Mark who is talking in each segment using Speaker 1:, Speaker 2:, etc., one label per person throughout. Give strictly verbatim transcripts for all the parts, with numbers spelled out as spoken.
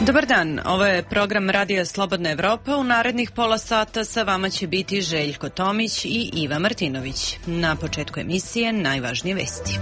Speaker 1: Dobar dan, ovo je program Radija Slobodna Evropa. U narednih pola sata sa vama će biti Željko Tomić i Iva Martinović. Na početku emisije najvažnije vesti.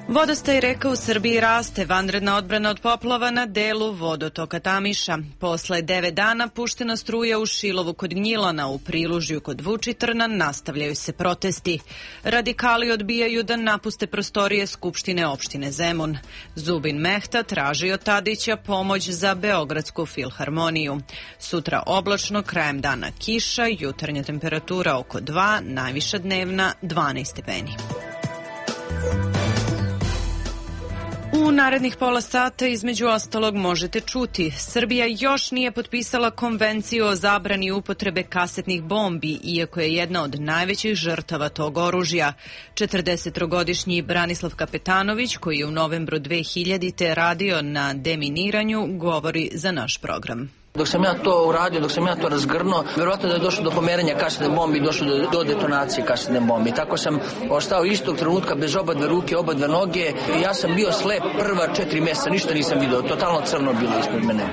Speaker 1: Vodostaj reka u Srbiji raste, vanredna odbrana od poplava na delu vodotoka Tamiša. Posle devet dana puštena struja u Šilovu kod Gnjilana, u Prilužju kod Vučitrna nastavljaju se protesti. Radikali odbijaju da napuste prostorije Skupštine opštine Zemun. Zubin Mehta traži od Tadića pomoć za Beogradsku filharmoniju. Sutra oblačno, krajem dana kiša, jutarnja temperatura oko dva, najviša dnevna dvanaest stepeni. U narednih pola sata između ostalog možete čuti: Srbija još nije potpisala konvenciju o zabrani upotrebe kasetnih bombi, iako je jedna od najvećih žrtava tog oružja. četrdesetogodišnji Branislav Kapetanović, koji je u novembru dve hiljadite radio na deminiranju, govori za naš program.
Speaker 2: Dok sam ja to uradio, dok sam ja to razgrnuo, verovatno da je došlo do pomeranja kasetne bombe i došlo do, do detonacije kasetne bombe. I tako sam ostao istog trenutka bez oba dve ruke, oba dve noge. Ja sam bio slep prva četiri mjeseca, ništa nisam vidio, totalno crno bilo ispred mene.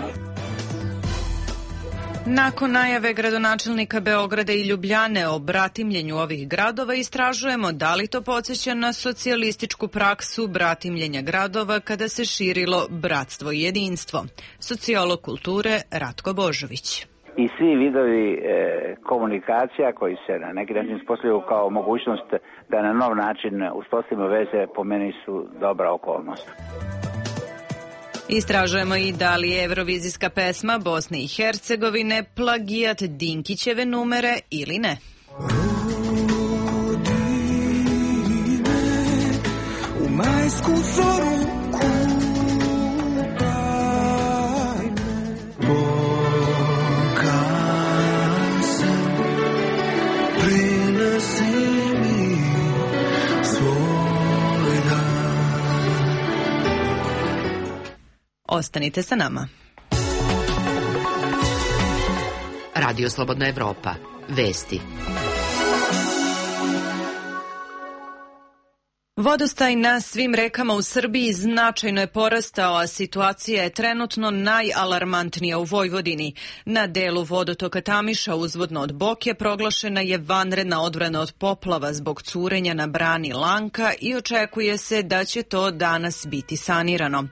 Speaker 1: Nakon najave gradonačelnika Beograda i Ljubljane o bratimljenju ovih gradova, istražujemo da li to podsjeća na socijalističku praksu bratimljenja gradova kada se širilo bratstvo i jedinstvo. Sociolog kulture Ratko Božović.
Speaker 3: I svi vidovi e, komunikacija koji se na neki način uspostavljaju kao mogućnost da na nov način uspostavimo veze, po meni su dobra okolnost.
Speaker 1: Istražujemo i da li je evrovizijska pesma Bosne i Hercegovine plagijat Dinkićeve numere ili ne.
Speaker 4: Rodi me u majsku zoru, kupaj me, pokaj se, prinesi mi svoj dan.
Speaker 1: Ostanite sa nama.
Speaker 5: Radio Slobodna Evropa. Vesti.
Speaker 1: Vodostaj na svim rekama u Srbiji značajno je porastao, a situacija je trenutno najalarmantnija u Vojvodini. Na delu vodotoka Tamiša uzvodno od Boke proglašena je vanredna odbrana od poplava zbog curenja na brani Lanka i očekuje se da će to danas biti sanirano.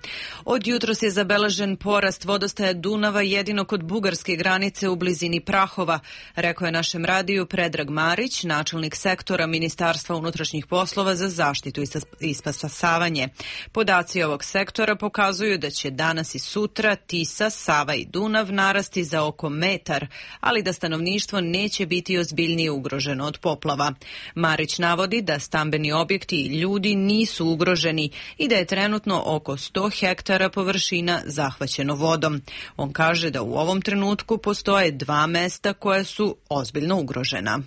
Speaker 1: Od jutros je zabeležen porast vodostaja Dunava jedino kod bugarske granice u blizini Prahova, rekao je našem radiju Predrag Marić, načelnik sektora Ministarstva unutrašnjih poslova za zaštitu i spasavanje. Podaci ovog sektora pokazuju da će danas i sutra Tisa, Sava i Dunav narasti za oko metar, ali da stanovništvo neće biti ozbiljnije ugroženo od poplava. Marić navodi da stambeni objekti i ljudi nisu ugroženi i da je trenutno oko sto hektara površina zahvaćeno vodom. On kaže da u ovom trenutku postoje dva mesta koja su ozbiljno ugrožena.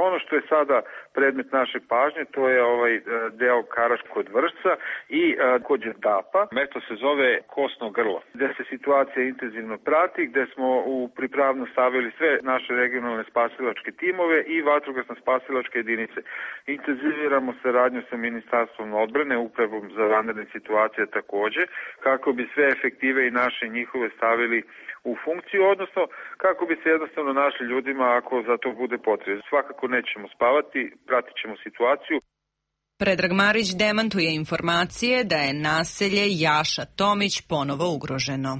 Speaker 6: Ono što je sada predmet naše pažnje, to je ovaj deo Karaš kod Vršca i kod Đerdapa. Mesto se zove Kosno grlo, gde se situacija intenzivno prati, gde smo u pripravno stavili sve naše regionalne spasilačke timove i vatrogasno spasilačke jedinice. Intenziviramo saradnju sa Ministarstvom odbrane, Upravom za vanredne situacije takođe, kako bi sve efektive i naše njihove stavili u funkciju, odnosno kako bi se jednostavno našli ljudima ako za to bude potrebno. Svakako nećemo spavati, pratit ćemo situaciju.
Speaker 1: Predrag Marić demantuje informacije da je naselje Jaša Tomić ponovo ugroženo.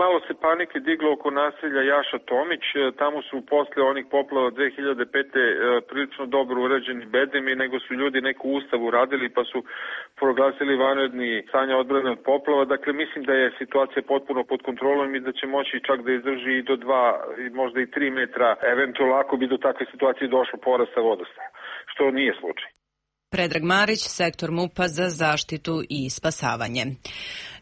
Speaker 6: Malo se panike diglo oko naselja Jaša Tomić, tamo su posle onih poplava dve hiljade pete. prilično dobro urađeni bedemi, nego su ljudi neku ustavu radili pa su proglasili vanredni stanje odbrane od poplava. Dakle, mislim da je situacija potpuno pod kontrolom i da će moći čak da izdrži i do dva, možda i tri metra, eventualno ako bi do takve situacije došlo porasta vodostaja, što nije slučaj.
Speaker 1: Predrag Marić, sektor MUP-a za zaštitu i spasavanje.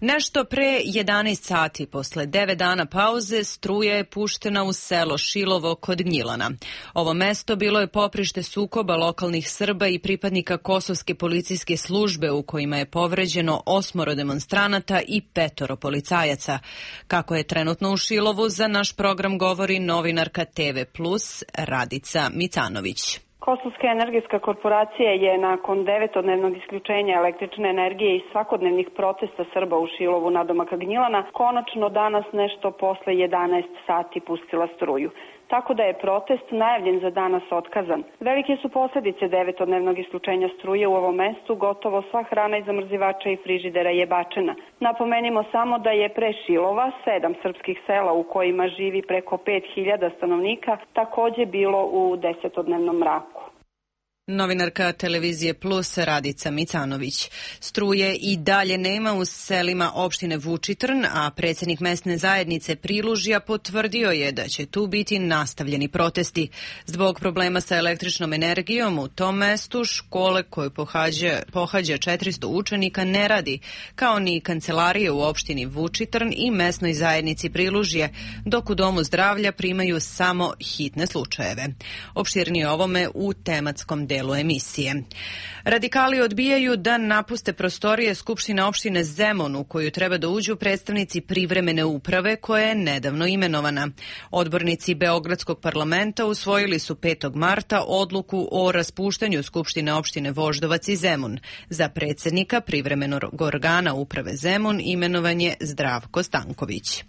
Speaker 1: Nešto pre jedanaest sati, posle devet dana pauze, struja je puštena u selo Šilovo kod Gnjilana. Ovo mesto bilo je poprište sukoba lokalnih Srba i pripadnika kosovske policijske službe u kojima je povređeno osmoro demonstranata i petoro policajaca. Kako je trenutno u Šilovu, za naš program govori novinarka T V plus Radica Micanović.
Speaker 7: Kosovska energetska korporacija je nakon devetodnevnog isključenja električne energije i svakodnevnih protesta Srba u Šilovu nadomaka Gnjilana konačno danas nešto posle jedanaest sati pustila struju. Tako da je protest najavljen za danas otkazan. Velike su posljedice devetodnevnog isključenja struje u ovom mestu, gotovo sva hrana iz zamrzivača i frižidera je bačena. Napomenimo samo da je pre Šilova, sedam srpskih sela u kojima živi preko pet hiljada stanovnika, takođe bilo u desetodnevnom mraku.
Speaker 1: Novinarka Televizije Plus Radica Micanović. Struje i dalje nema u selima opštine Vučitrn, a predsjednik mesne zajednice Prilužja potvrdio je da će tu biti nastavljeni protesti. Zbog problema sa električnom energijom u tom mestu škole koje pohađa, pohađa četiristo učenika ne radi, kao ni kancelarije u opštini Vučitrn i mesnoj zajednici Prilužje, dok u Domu zdravlja primaju samo hitne slučajeve. Opširnije ovome u tematskom delu emisije. Radikali odbijaju da napuste prostorije Skupštine opštine Zemun u koju treba da uđu predstavnici privremene uprave koja je nedavno imenovana. Odbornici Beogradskog parlamenta usvojili su petog marta odluku o raspuštanju Skupštine opštine Voždovac i Zemun. Za predsjednika privremenog organa uprave Zemun imenovan je Zdravko Stanković.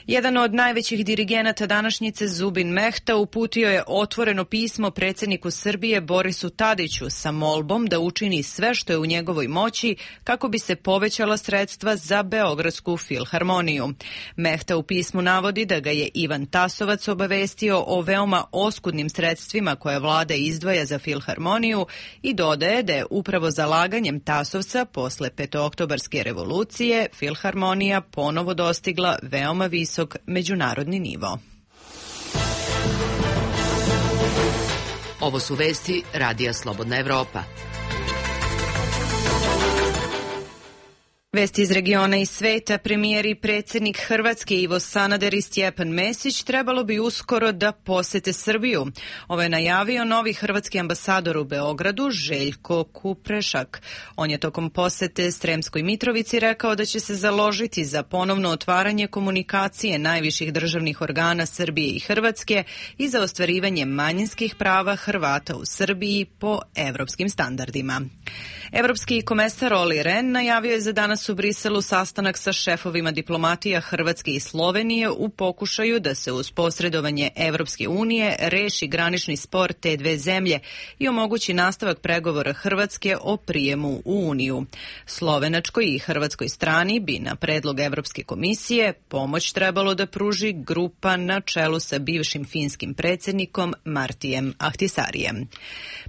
Speaker 1: Jedan od najvećih dirigenata današnjice, Zubin Mehta, uputio je otvoreno pismo predsjedniku Srbije Borisu Tadiću sa molbom da učini sve što je u njegovoj moći kako bi se povećala sredstva za Beogradsku filharmoniju. Mehta u pismu navodi da ga je Ivan Tasovac obavestio o veoma oskudnim sredstvima koje vlada izdvaja za filharmoniju i dodaje da je upravo zalaganjem Tasovca posle petooktobarske revolucije filharmonija ponovo dostigla veoma visok međunarodni nivo.
Speaker 5: Ovo su vesti Radija Slobodna Evropa.
Speaker 1: Vesti iz regiona i sveta. Premijer i predsjednik Hrvatske Ivo Sanader i Stjepan Mesić trebalo bi uskoro da posete Srbiju. Ovo je najavio novi hrvatski ambasador u Beogradu Željko Kuprešak. On je tokom posete Sremskoj Mitrovici rekao da će se založiti za ponovno otvaranje komunikacije najviših državnih organa Srbije i Hrvatske i za ostvarivanje manjinskih prava Hrvata u Srbiji po evropskim standardima. Evropski komesar Olli Rehn najavio je za danas u Briselu sastanak sa šefovima diplomatija Hrvatske i Slovenije u pokušaju da se uz posredovanje Evropske unije reši granični spor te dve zemlje i omogući nastavak pregovora Hrvatske o prijemu u Uniju. Slovenačkoj i hrvatskoj strani bi na predlog Evropske komisije pomoć trebalo da pruži grupa na čelu sa bivšim finskim predsjednikom Martijem Ahtisarijem.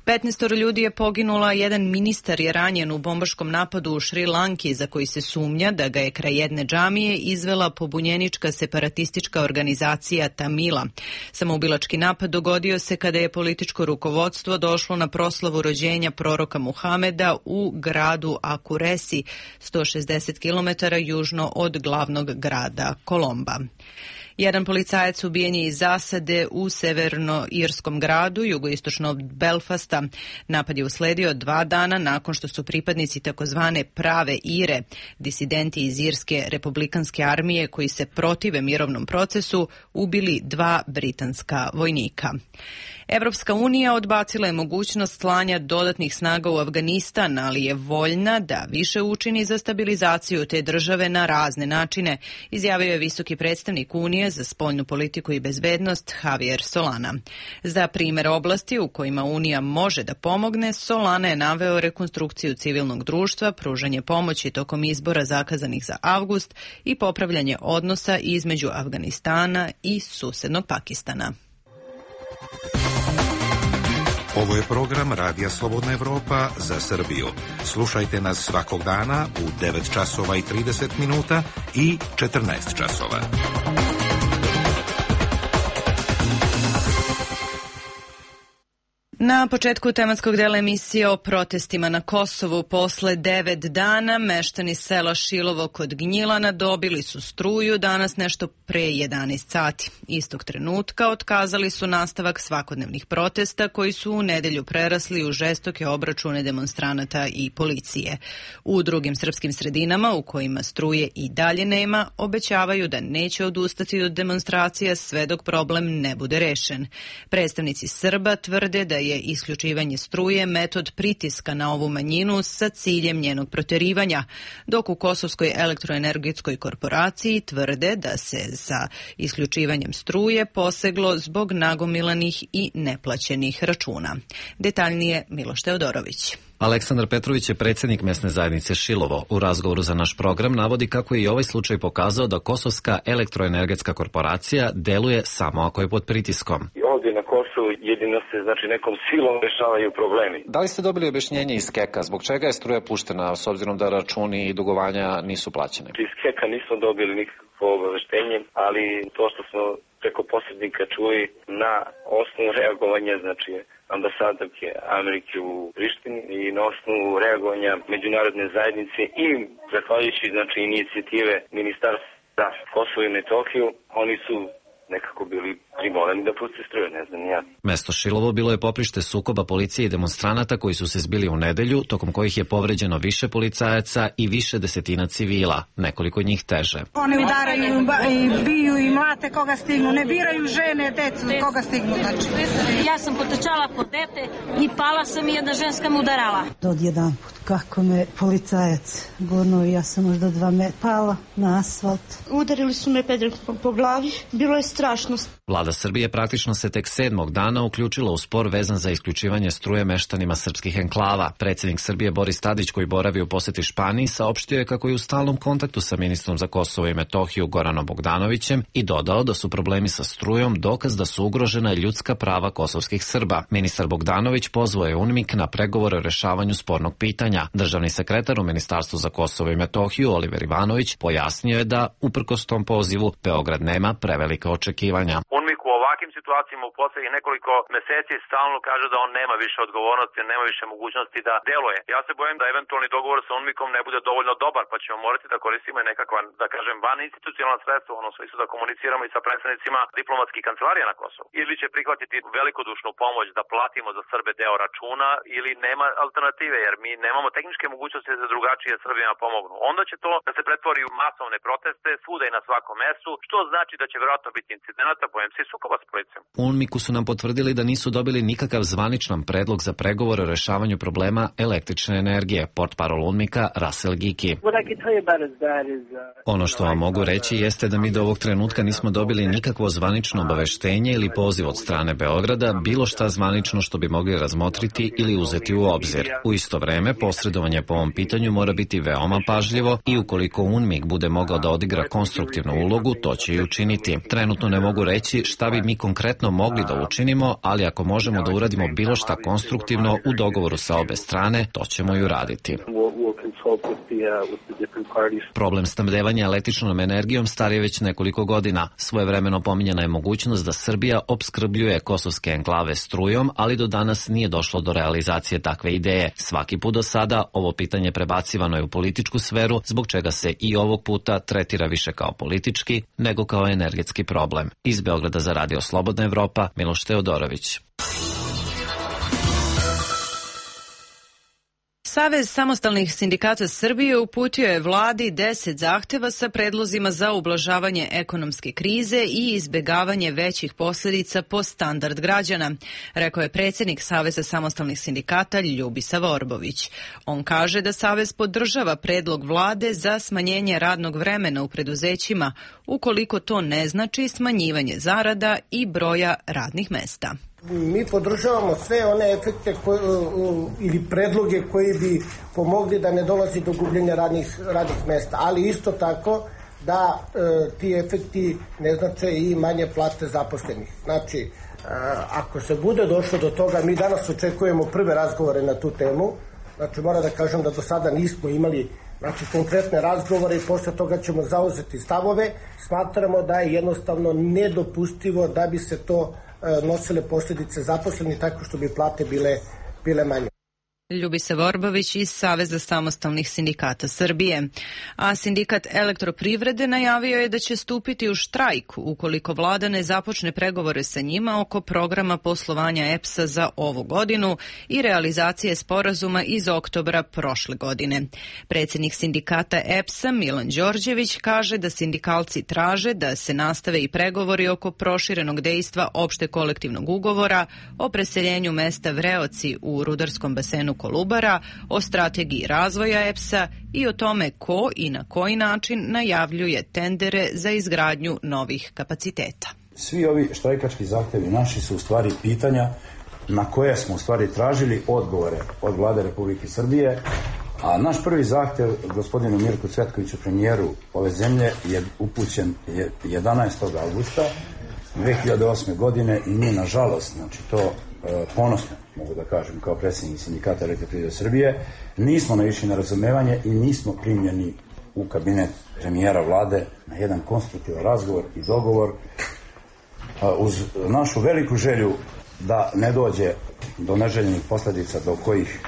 Speaker 1: petnaestoro ljudi je poginula, jedan ministar je ranjen u bombaškom napadu u Šri Lanki za koji se sumnja da ga je kraj jedne džamije izvela pobunjenička separatistička organizacija Tamila. Samoubilački napad dogodio se kada je političko rukovodstvo došlo na proslavu rođenja proroka Muhameda u gradu Akuresi, sto šezdeset kilometara južno od glavnog grada Kolomba. Jedan policajac ubijen je iz zasade u severno-irskom gradu, jugoistočno od Belfasta. Napad je usledio dva dana nakon što su pripadnici takozvane prave Ire, disidenti iz Irske republikanske armije koji se protive mirovnom procesu, ubili dva britanska vojnika. Evropska unija odbacila je mogućnost slanja dodatnih snaga u Afganistan, ali je voljna da više učini za stabilizaciju te države na razne načine, izjavio je visoki predstavnik Unije za spoljnu politiku i bezbednost Javier Solana. Za primjer oblasti u kojima Unija može da pomogne, Solana je naveo rekonstrukciju civilnog društva, pružanje pomoći tokom izbora zakazanih za avgust i popravljanje odnosa između Afganistana i susednog Pakistana.
Speaker 8: Ovo je program Radija Slobodna Evropa za Srbiju. Slušajte nas svakog dana u devet časova i trideset minuta i četrnaest časova.
Speaker 1: Na početku tematskog dela emisije o protestima na Kosovu posle devet dana meštani sela Šilovo kod Gnjilana dobili su struju danas nešto pre jedanaest sati. Istog trenutka otkazali su nastavak svakodnevnih protesta koji su u nedelju prerasli u žestoke obračune demonstranata i policije. U drugim srpskim sredinama u kojima struje i dalje nema, obećavaju da neće odustati od demonstracija sve dok problem ne bude rešen. Predstavnici Srba tvrde da je je isključivanje struje metod pritiska na ovu manjinu sa ciljem njenog proterivanja, dok u Kosovskoj elektroenergetskoj korporaciji tvrde da se za isključivanjem struje poseglo zbog nagomilanih i neplaćenih računa. Detaljnije Miloš Teodorović.
Speaker 9: Aleksandar Petrović je predsjednik mesne zajednice Šilovo. U razgovoru za naš program navodi kako je i ovaj slučaj pokazao da Kosovska elektroenergetska korporacija deluje samo ako je pod pritiskom.
Speaker 10: Ovdje na Kosovu jedino se znači nekom silom rešavaju problemi.
Speaker 9: Da li ste dobili objašnjenje iz Keka? Zbog čega je struja puštena s obzirom da računi i dugovanja nisu plaćene?
Speaker 10: Iz Keka nismo dobili nikakvo obaveštenje, ali to što smo preko posrednika čuli na osnovu reagovanja, znači ambasadorke Amerike u Prištini i na osnovu reagovanja međunarodne zajednice i zahvaljujući znači inicijative Ministarstva za Kosovo i Metohiju, oni su nekako bili primorani da puste struju, ne znam ja.
Speaker 9: Mesto Šilovo bilo je poprište sukoba policije i demonstranata koji su se zbili u nedelju, tokom kojih je povređeno više policajaca i više desetina civila, nekoliko njih teže.
Speaker 11: Oni udaraju i biju i mlate koga stignu, ne biraju žene, decu, koga stignu. Znači.
Speaker 12: Ja sam potrčala po dete i pala sam i jedna ženska me udarala.
Speaker 13: Odjedan put kako me policajac gurnuo i ja sam možda dva metra pala na asfalt.
Speaker 14: Udarili su me pedrekom po glavi, bilo je strašno.
Speaker 9: Vlada Srbije praktično se tek sedmog dana uključila u spor vezan za isključivanje struje meštanima srpskih enklava. Predsjednik Srbije Boris Tadić, koji boravi u poseti Španiji, saopštio je kako je u stalnom kontaktu sa ministrom za Kosovo i Metohiju Goranom Bogdanovićem i dodao da su problemi sa strujom dokaz da su ugrožena ljudska prava kosovskih Srba. Ministar Bogdanović pozvao je UNMIK na pregovore o rešavanju spornog pitanja. Državni sekretar u Ministarstvu za Kosovo i Metohiju Oliver Ivanović pojasnio je da, uprkos tom pozivu, Beograd nema prevelika očekivanja.
Speaker 15: UNMIK u ovakvim situacijama u poslednjih nekoliko meseci stalno kaže da on nema više odgovornosti, nema više mogućnosti da deluje. Ja se bojim da eventualni dogovor sa UNMIKom ne bude dovoljno dobar, pa ćemo morati da koristimo i nekakva, da kažem, van institucionalna sredstva, ono smislu da komuniciramo i sa predstavnicima diplomatskih kancelarija na Kosovu. Ili će prihvatiti velikodušnu pomoć da platimo za Srbe deo računa, ili nema alternative, jer mi nemamo tehničke mogućnosti da drugačije Srbima pomognu. Onda će to da se pretvori u masovne proteste svuda i na svakom mestu, što znači da će verovatno biti incidenata, bojem se i sukoba s policijom.
Speaker 9: U UNMIK-u su nam potvrdili da nisu dobili nikakav zvaničan predlog za pregovore o rešavanju problema električne energije, portparol UNMIK-a Russell Giki. Ono što vam mogu reći jeste da mi do ovog trenutka nismo dobili nikakvo zvanično obaveštenje ili poziv od strane Beograda, bilo šta zvanično što bi mogli razmotriti ili uzeti u obzir. U isto vreme, posredovanje po ovom pitanju mora biti veoma pažljivo i ukoliko UNMIK bude mogao da odigra konstruktivnu ulogu, to će i učiniti. Trenutno ne mogu reći šta bi mi konkretno mogli da učinimo, ali ako možemo da uradimo bilo šta konstruktivno u dogovoru sa obe strane, to ćemo i uraditi. Problem snabdevanja električnom energijom star je već nekoliko godina. Svojevremeno pominjana je mogućnost da Srbija opskrbljuje kosovske enklave strujom, ali do danas nije došlo do realizacije takve ideje. Svaki put do sada ovo pitanje prebacivano je u političku sferu, zbog čega se i ovog puta tretira više kao politički nego kao energetski problem. Iz Beograda za Radio Slobodna Evropa, Miloš Teodorović.
Speaker 1: Savez samostalnih sindikata Srbije uputio je vladi deset zahteva sa predlozima za ublažavanje ekonomske krize i izbegavanje većih posljedica po standard građana, rekao je predsjednik Saveza samostalnih sindikata Ljubisa Vorbović. On kaže da Savez podržava predlog vlade za smanjenje radnog vremena u preduzećima, ukoliko to ne znači smanjivanje zarada i broja radnih mesta.
Speaker 16: Mi podržavamo sve one efekte koje, ili predloge koji bi pomogli da ne dolazi do gubljenja radnih, radnih mesta, ali isto tako da e, ti efekti ne znače i manje plate zaposlenih. Znači, e, ako se bude došlo do toga, mi danas očekujemo prve razgovore na tu temu, znači moram da kažem da do sada nismo imali znači, konkretne razgovore i posle toga ćemo zauzeti stavove. Smatramo da je jednostavno nedopustivo da bi se to nosile posljedice zaposleni tako što bi plate bile, bile manje.
Speaker 1: Ljubisa Vorbović iz Saveza samostalnih sindikata Srbije. A sindikat elektroprivrede najavio je da će stupiti u štrajk ukoliko vlada ne započne pregovore sa njima oko programa poslovanja E P S-a za ovu godinu i realizacije sporazuma iz oktobra prošle godine. Predsjednik sindikata E P S-a Milan Đorđević kaže da sindikalci traže da se nastave i pregovori oko proširenog dejstva opšte kolektivnog ugovora o preseljenju mesta Vreoci u rudarskom basenu Kolubara, o strategiji razvoja E P S-a i o tome ko i na koji način najavljuje tendere za izgradnju novih kapaciteta.
Speaker 17: Svi ovi štrajkački zahtevi naši su u stvari pitanja na koje smo u stvari tražili odgovore od vlade Republike Srbije, a naš prvi zahtev gospodinu Mirku Cvetkoviću, premijeru ove zemlje, je upućen jedanaestog avgusta dve hiljade osme. godine i mi, nažalost, znači to e, ponosno mogu da kažem kao predsjednik sindikata Elektroprivrede Srbije, nismo naišli na razumevanje i nismo primljeni u kabinet premijera vlade na jedan konstruktivan razgovor i dogovor a, uz našu veliku želju da ne dođe do neželjenih posljedica do kojih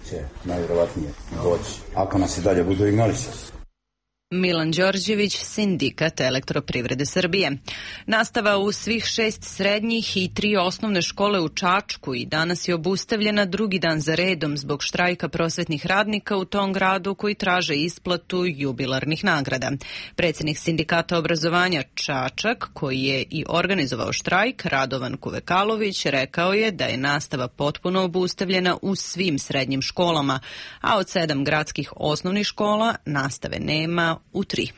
Speaker 17: će najvjerovatnije doći ako nas i dalje budu ignorisali.
Speaker 1: Milan Đorđević, sindikat Elektroprivrede Srbije. Nastava u svih šest srednjih i tri osnovne škole u Čačku i danas je obustavljena drugi dan za redom zbog štrajka prosvetnih radnika u tom gradu koji traže isplatu jubilarnih nagrada. Predsjednik sindikata obrazovanja Čačak, koji je i organizovao štrajk, Radovan Kuvekalović, rekao je da je nastava potpuno obustavljena u svim srednjim školama, a od sedam gradskih osnovnih škola nastave nema u tri.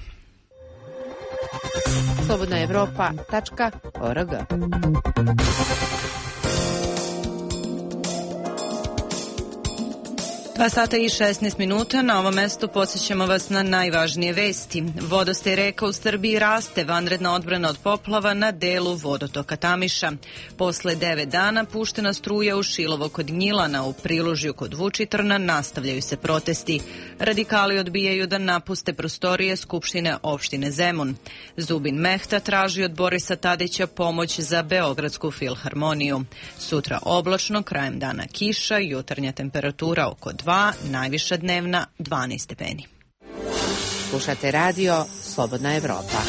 Speaker 18: slobodna evropa tačka org.
Speaker 1: Dva sata i šesnaest minuta. Na ovom mestu podsjećamo vas na najvažnije vesti. Vodostaj reka u Srbiji raste, vanredna odbrana od poplava na delu vodotoka Tamiša. Posle devet dana puštena struja u Šilovo kod Gnjilana, u Prilužju kod Vučitrna nastavljaju se protesti. Radikali odbijaju da napuste prostorije Skupštine opštine Zemun. Zubin Mehta traži od Borisa Tadića pomoć za Beogradsku filharmoniju. Sutra oblačno, krajem dana kiša, jutarnja temperatura oko dva, najviša dnevna dvanaest stepeni.
Speaker 18: Slušate radio Slobodna Evropa.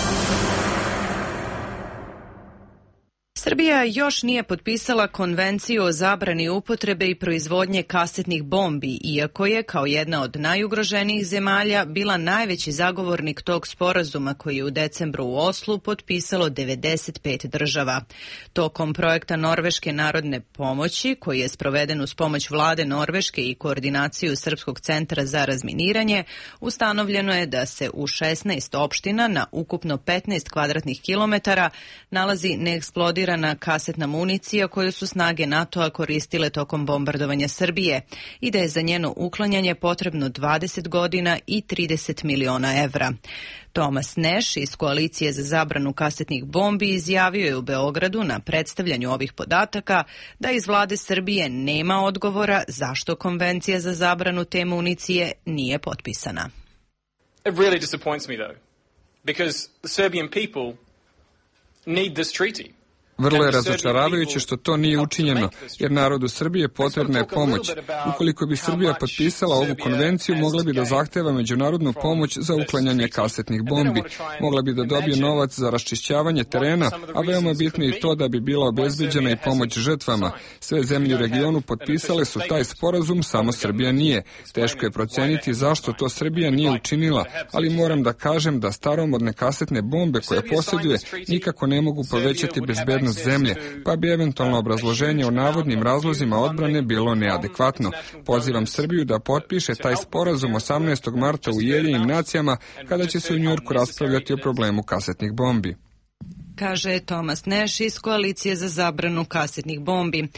Speaker 1: Srbija još nije potpisala konvenciju o zabrani upotrebe i proizvodnje kasetnih bombi, iako je, kao jedna od najugroženijih zemalja, bila najveći zagovornik tog sporazuma koji je u decembru u Oslu potpisalo devedeset pet država. Tokom projekta Norveške narodne pomoći, koji je sproveden uz pomoć vlade Norveške i koordinaciju Srpskog centra za razminiranje, ustanovljeno je da se u šesnaest opština na ukupno petnaest kvadratnih kilometara nalazi neeksplodirana kasetna municija koju su snage NATO-a koristile tokom bombardovanja Srbije i da je za njeno uklanjanje potrebno dvadeset godina i trideset miliona evra. Tomas Neš iz Koalicije za zabranu kasetnih bombi izjavio je u Beogradu na predstavljanju ovih podataka da iz vlade Srbije nema odgovora zašto konvencija za zabranu te municije nije potpisana.
Speaker 19: It really disappoints me though, because the Serbian people need this treaty.
Speaker 20: Vrlo je razočaravajuće što to nije učinjeno, jer narodu Srbije potrebna je pomoć. Ukoliko bi Srbija potpisala ovu konvenciju, mogla bi da zahteva međunarodnu pomoć za uklanjanje kasetnih bombi. Mogla bi da dobije novac za raščišćavanje terena, a veoma bitno je i to da bi bila obezbeđena i pomoć žrtvama. Sve zemlje u regionu potpisale su taj sporazum, samo Srbija nije. Teško je proceniti zašto to Srbija nije učinila, ali moram da kažem da staromodne kasetne bombe koje posjeduje nikako ne mogu povećati bezbednost zemlje, pa bi eventualno obrazloženje o navodnim razlozima odbrane bilo neadekvatno. Pozivam Srbiju da potpiše taj sporazum osamnaestog marta u Ujedinjenim nacijama, kada će se u Njujorku raspravljati o problemu kasetnih bombi.
Speaker 1: Kaže Tomas Neš iz Koalicije za zabranu kasetnih bombi.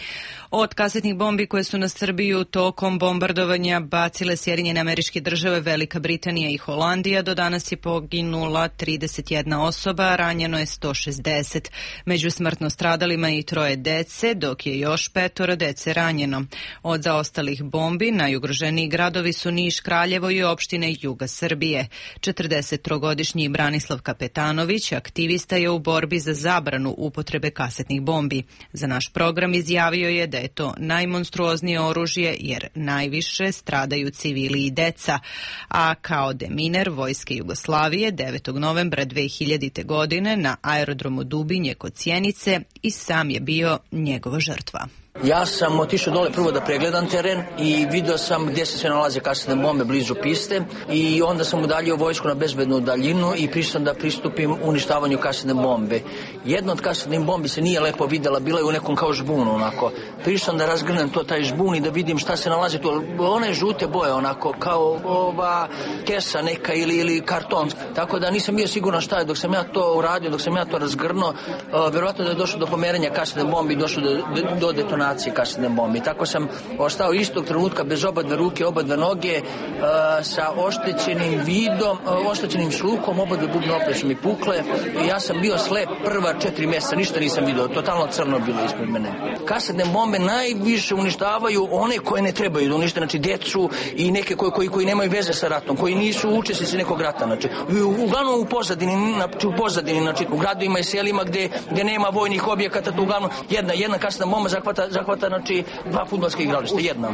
Speaker 1: Od kasetnih bombi koje su na Srbiju tokom bombardovanja bacile Sjedinjene Američke Države, Velika Britanija i Holandija, do danas je poginula trideset jedna osoba, ranjeno je sto šezdeset. Među smrtno stradalima i troje dece, dok je još petoro dece ranjeno. Od zaostalih bombi najugroženiji gradovi su Niš, Kraljevo i opštine juga Srbije. četrdesettrogodišnji Branislav Kapetanović, aktivista, je u borbi borbi za zabranu upotrebe kasetnih bombi. Za naš program izjavio je da je to najmonstruoznije oružje jer najviše stradaju civili i deca, a kao deminer Vojske Jugoslavije devetog novembra dve hiljadite. godine na aerodromu Dubinje kod Sjenice i sam je bio njegova žrtva.
Speaker 2: Ja sam otišao dole prvo da pregledam teren i video sam gdje se sve nalaze kasetne bombe blizu piste i onda sam udaljio vojsku na bezbednu daljinu i prišao da pristupim uništavanju kasetne bombe. Jedna od kasetnih bombi se nije lepo videla, bila je u nekom kao žbunu onako. Prišao da razgrnem to taj žbun i da vidim šta se nalazi tu. One žute boje onako kao ova kesa neka ili, ili karton. Tako da nisam bio siguran šta je. Dok sam ja to uradio, dok sam ja to razgrnuo, uh, vjerojatno da je došlo do pomerenja kasetne bombe i došlo do, do, do detonacije kasetne bombe. Tako sam ostao istog trenutka bez oba dve ruke, oba dve noge, uh, sa oštećenim vidom, uh, oštećenim sluhom, oba dve bubne opere su mi pukle. Ja sam bio slep prva četiri mjeseca, ništa nisam vidio, totalno crno bilo ispred mene. Kasetne bombe najviše uništavaju one koje ne trebaju da unište, znači djecu i neke koji, koji, koji nemaju veze sa ratom, koji nisu učesnici nekog rata. Znači, uglavnom u pozadini, znači u pozadini, znači u gradovima i selima gdje, gdje nema vojnih objekata, to uglavnom jedna, jedna kasetna bomba zahvata, zahvata znači dva fudbalska igrališta, jedna.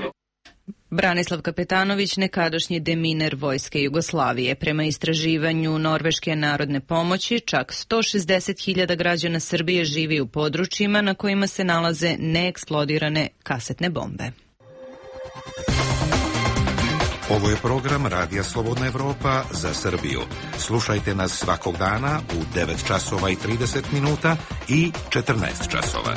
Speaker 1: Branislav Kapetanović, nekadašnji deminer Vojske Jugoslavije. Prema istraživanju Norveške narodne pomoći, čak sto šezdeset hiljada građana Srbije živi u područjima na kojima se nalaze neeksplodirane kasetne bombe.
Speaker 8: Ovo je program Radija Slobodna Evropa za Srbiju. Slušajte nas svakog dana u devet časova i trideset minuta i četrnaest časova.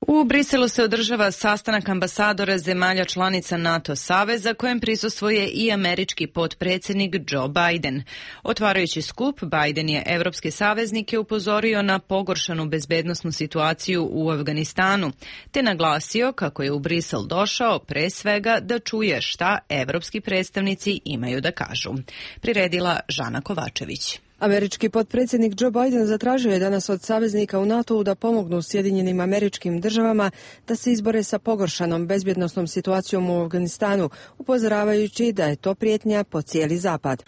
Speaker 1: U Briselu se održava sastanak ambasadora zemalja članica NATO saveza kojem prisustvuje i američki potpredsjednik Joe Biden. Otvarajući skup, Biden je evropske saveznike upozorio na pogoršanu bezbednosnu situaciju u Afganistanu, te naglasio kako je u Brisel došao pre svega da čuje šta evropski predstavnici imaju da kažu. Priredila Žana Kovačević.
Speaker 21: Američki potpredsjednik Joe Biden zatražio je danas od saveznika u NATO-u da pomognu Sjedinjenim Američkim Državama da se izbore sa pogoršanom bezbjednosnom situacijom u Afganistanu, upozoravajući da je to prijetnja po cijeli zapad.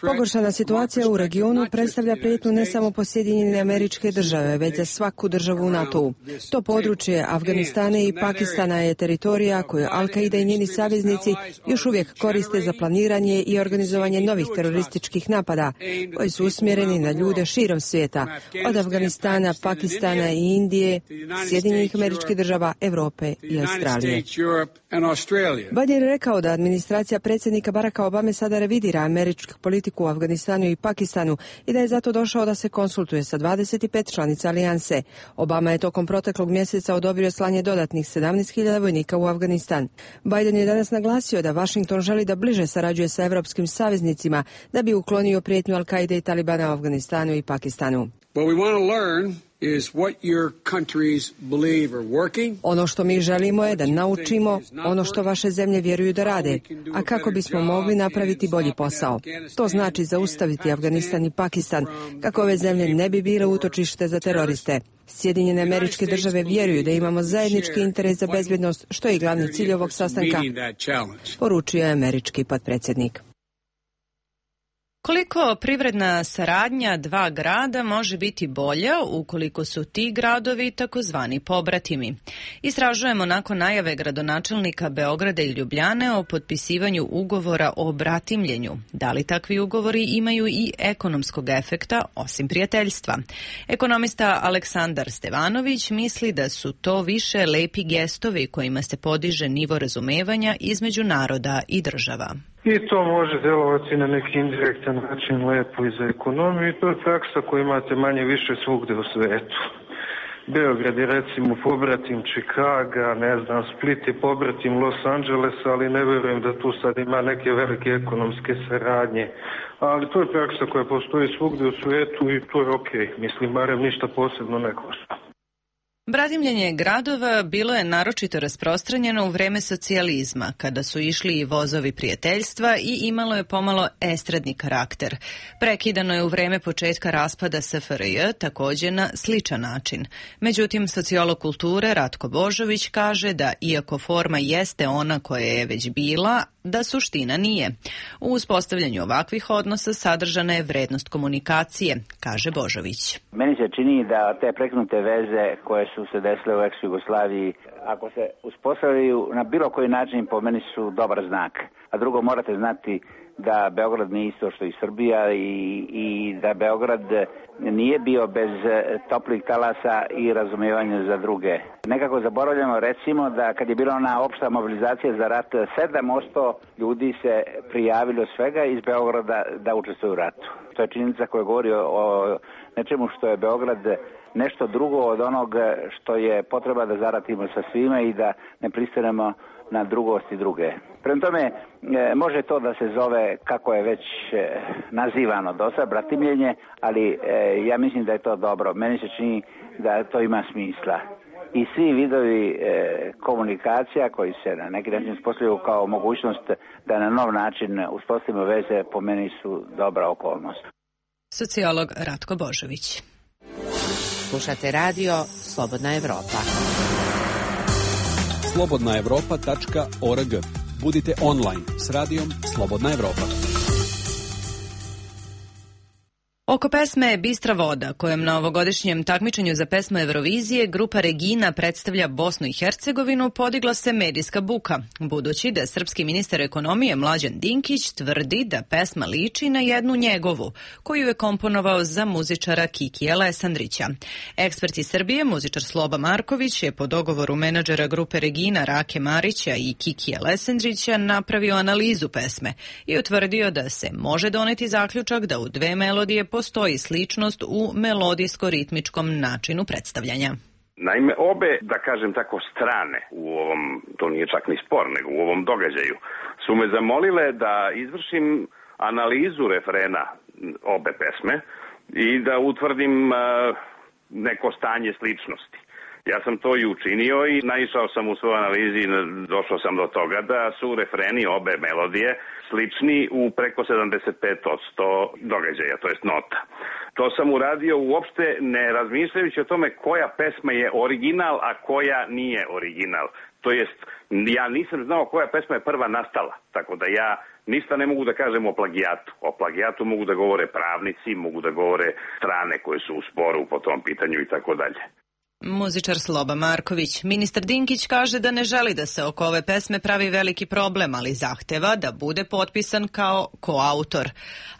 Speaker 21: Pogoršana situacija u regionu predstavlja prijetnju ne samo po Sjedinjene Američke Države, već za svaku državu u NATO-u. To područje Afganistana i Pakistana je teritorija koju Al-Qaida i njeni saveznici još uvijek koriste za planiranje i organizovanje novih terorističkih napada koji su usmjereni na ljude širom svijeta, od Afganistana, Pakistana i Indije, Sjedinjenih Američkih Država, Europe i Australije. Biden je rekao da administracija predsjednika Baracka Obame sada revidira američku politiku u Afganistanu i Pakistanu i da je zato došao da se konsultuje sa dvadeset pet članica alijanse. Obama je tokom proteklog mjeseca odobrio slanje dodatnih sedamnaest hiljada vojnika u Afganistan. Biden je danas naglasio da Washington želi da bliže sarađuje sa evropskim saveznicima da bi uklonio prijetnju Al-Qaide i Talibana u Afganistanu i Pakistanu. Ono što mi želimo je da naučimo ono što vaše zemlje vjeruju da rade, a kako bismo mogli napraviti bolji posao. To znači zaustaviti Afganistan i Pakistan, kako ove zemlje ne bi bile utočište za teroriste. Sjedinjene Američke Države vjeruju da imamo zajednički interes za bezbjednost, što je i glavni cilj ovog sastanka, poručio je američki potpredsjednik.
Speaker 1: Koliko privredna saradnja dva grada može biti bolja ukoliko su ti gradovi takozvani pobratimi? Istražujemo nakon najave gradonačelnika Beograda i Ljubljane o potpisivanju ugovora o bratimljenju. Da li takvi ugovori imaju i ekonomskog efekta osim prijateljstva? Ekonomista Aleksandar Stevanović misli da su to više lepi gestovi kojima se podiže nivo razumevanja između naroda i država.
Speaker 6: I to može delovati na neki indirektan način lepo i za ekonomiju i to je praksa koju imate manje više svugde u svetu. Beograd je recimo pobratim Čikaga, ne znam, Split je pobratim Los Angelesa, ali ne verujem da tu sad ima neke velike ekonomske saradnje. Ali to je praksa koja postoji svugde u svetu i to je okej. Okay. Mislim, barem ništa posebno ne košta.
Speaker 1: Bratimljenje gradova bilo je naročito rasprostranjeno u vreme socijalizma, kada su išli i vozovi prijateljstva i imalo je pomalo estradni karakter. Prekidano je u vreme početka raspada S F R J, takođe na sličan način. Međutim, sociolog kulture Ratko Božović kaže da, iako forma jeste ona koja je već bila, da suština nije. U uspostavljanju ovakvih odnosa sadržana je vrednost komunikacije, kaže Božović.
Speaker 3: Meni se čini da te preknute veze koje su se desile u ex-Jugoslaviji, ako se uspostavljaju na bilo koji način, po meni su dobar znak. A drugo, morate znati da Beograd nije isto što i Srbija i, i da Beograd nije bio bez toplih talasa i razumijevanja za druge. Nekako zaboravljamo, recimo, da kad je bila ona opšta mobilizacija za rat, sedam posto ljudi se prijavilo svega iz Beograda da učestvuju u ratu. To je činjenica koja govori o nečemu što je Beograd nešto drugo od onog što je potreba da zaratimo sa svima i da ne pristanemo na drugost i druge. Prema tome, može to da se zove, kako je već nazivano do sada, bratimljenje, ali ja mislim da je to dobro. Meni se čini da to ima smisla. I svi vidovi komunikacija koji se na neki način uspostavljaju kao mogućnost da na nov način uspostavimo veze, po meni su dobra okolnost.
Speaker 1: Sociolog Ratko Božović.
Speaker 18: Slušate radio Slobodna Evropa.
Speaker 22: slobodna evropa tačka org. Budite online s radijom Slobodna Evropa.
Speaker 1: Oko pesme Bistra voda, kojem na ovogodišnjem takmičenju za pesmu Eurovizije grupa Regina predstavlja Bosnu i Hercegovinu, podigla se medijska buka, budući da srpski ministar ekonomije Mlađan Dinkić tvrdi da pesma liči na jednu njegovu, koju je komponovao za muzičara Kikija Lesandrića. Ekspert iz Srbije, muzičar Sloba Marković, je po dogovoru menadžera grupe Regina Rake Marića i Kikija Lesandrića napravio analizu pesme i utvrdio da se može doneti zaključak da u dve melodije postoji sličnost u melodijsko-ritmičkom načinu predstavljanja.
Speaker 23: Naime, obe, da kažem tako, strane u ovom, to nije čak ni spor, nego u ovom događaju, su me zamolile da izvršim analizu refrena obe pesme i da utvrdim uh, neko stanje sličnosti. Ja sam to i učinio i naišao sam u svojoj analizi i došao sam do toga da su refreni obe melodije slični u preko sedamdeset pet posto događaja, to jest nota. To sam uradio uopšte ne razmišljajući o tome koja pesma je original, a koja nije original. To jest, ja nisam znao koja pesma je prva nastala, tako da ja ništa ne mogu da kažem o plagijatu. O plagijatu mogu da govore pravnici, mogu da govore strane koje su u sporu po tom pitanju i tako dalje.
Speaker 1: Muzičar Sloba Marković. Ministar Dinkić kaže da ne želi da se oko ove pesme pravi veliki problem, ali zahteva da bude potpisan kao koautor.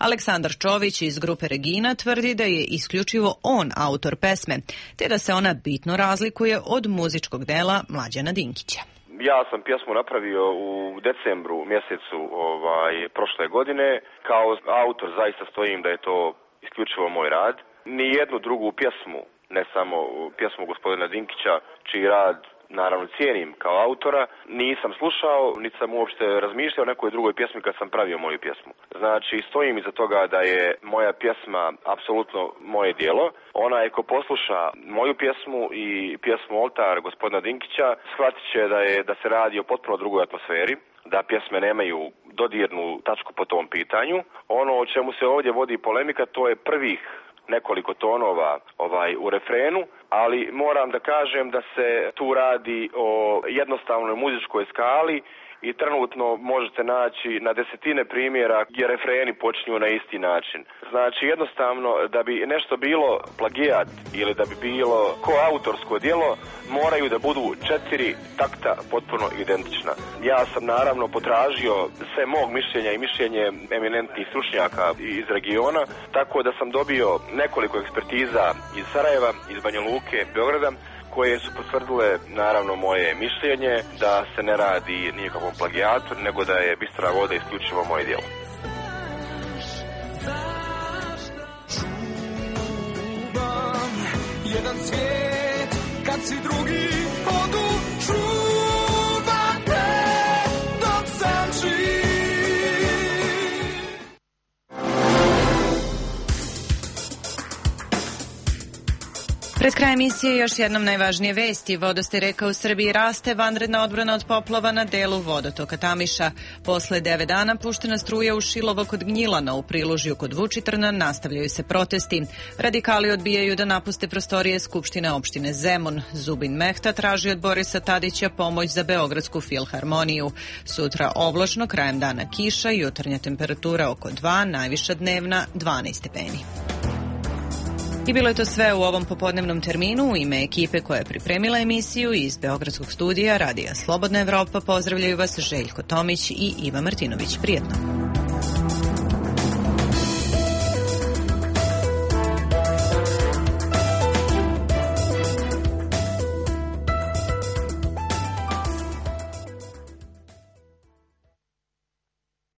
Speaker 1: Aleksandar Čović iz grupe Regina tvrdi da je isključivo on autor pesme, te da se ona bitno razlikuje od muzičkog dela Mlađana Dinkića.
Speaker 24: Ja sam pjesmu napravio u decembru mjesecu ovaj, prošle godine. Kao autor zaista stojim da je to isključivo moj rad. Ni jednu drugu pjesmu, ne samo pjesmu gospodina Dinkića, čiji rad naravno cijenim kao autora, nisam slušao, niti sam uopšte razmišljao o nekoj drugoj pjesmi kad sam pravio moju pjesmu. Znači, stojim iza toga da je moja pjesma apsolutno moje djelo. Onaj ko posluša moju pjesmu i pjesmu Oltar gospodina Dinkića, shvatit će da, je, da se radi o potpuno drugoj atmosferi, da pjesme nemaju dodirnu tačku po tom pitanju. Ono o čemu se ovdje vodi polemika, to je prvih nekoliko tonova ovaj u refrenu, ali moram da kažem da se tu radi o jednostavnoj muzičkoj skali i trenutno možete naći na desetine primjera gdje refreni počinju na isti način. Znači jednostavno da bi nešto bilo plagijat ili da bi bilo koautorsko djelo, moraju da budu četiri takta potpuno identična. Ja sam naravno potražio sve mog mišljenja i mišljenje eminentnih stručnjaka iz regiona, tako da sam dobio nekoliko ekspertiza iz Sarajeva, iz Banja Luke, Beograda, koje su potvrdile naravno moje mišljenje da se ne radi nikakvom plagijatu, nego da je Bistra voda isključivo moje djelo.
Speaker 4: Jedan svijet kad si drugi vodu čuvate dok sam živ.
Speaker 1: Pred kraj emisije još jednom najvažnije vesti. Vodostaj reka u Srbiji raste, vanredna odbrana od poplava na delu vodotoka Tamiša. Posle devet dana puštena struja u Šilovo kod Gnjilana, u Prilužju kod Vučitrna nastavljaju se protesti. Radikali odbijaju da napuste prostorije Skupštine opštine Zemun. Zubin Mehta traži od Borisa Tadića pomoć za Beogradsku filharmoniju. Sutra oblačno, krajem dana kiša, jutarnja temperatura oko dva, najviša dnevna dvanaest stepeni. I bilo je to sve u ovom popodnevnom terminu. U ime ekipe koja je pripremila emisiju iz Beogradskog studija Radija Slobodna Evropa pozdravljaju vas Željko Tomić i Iva Martinović. Prijetno.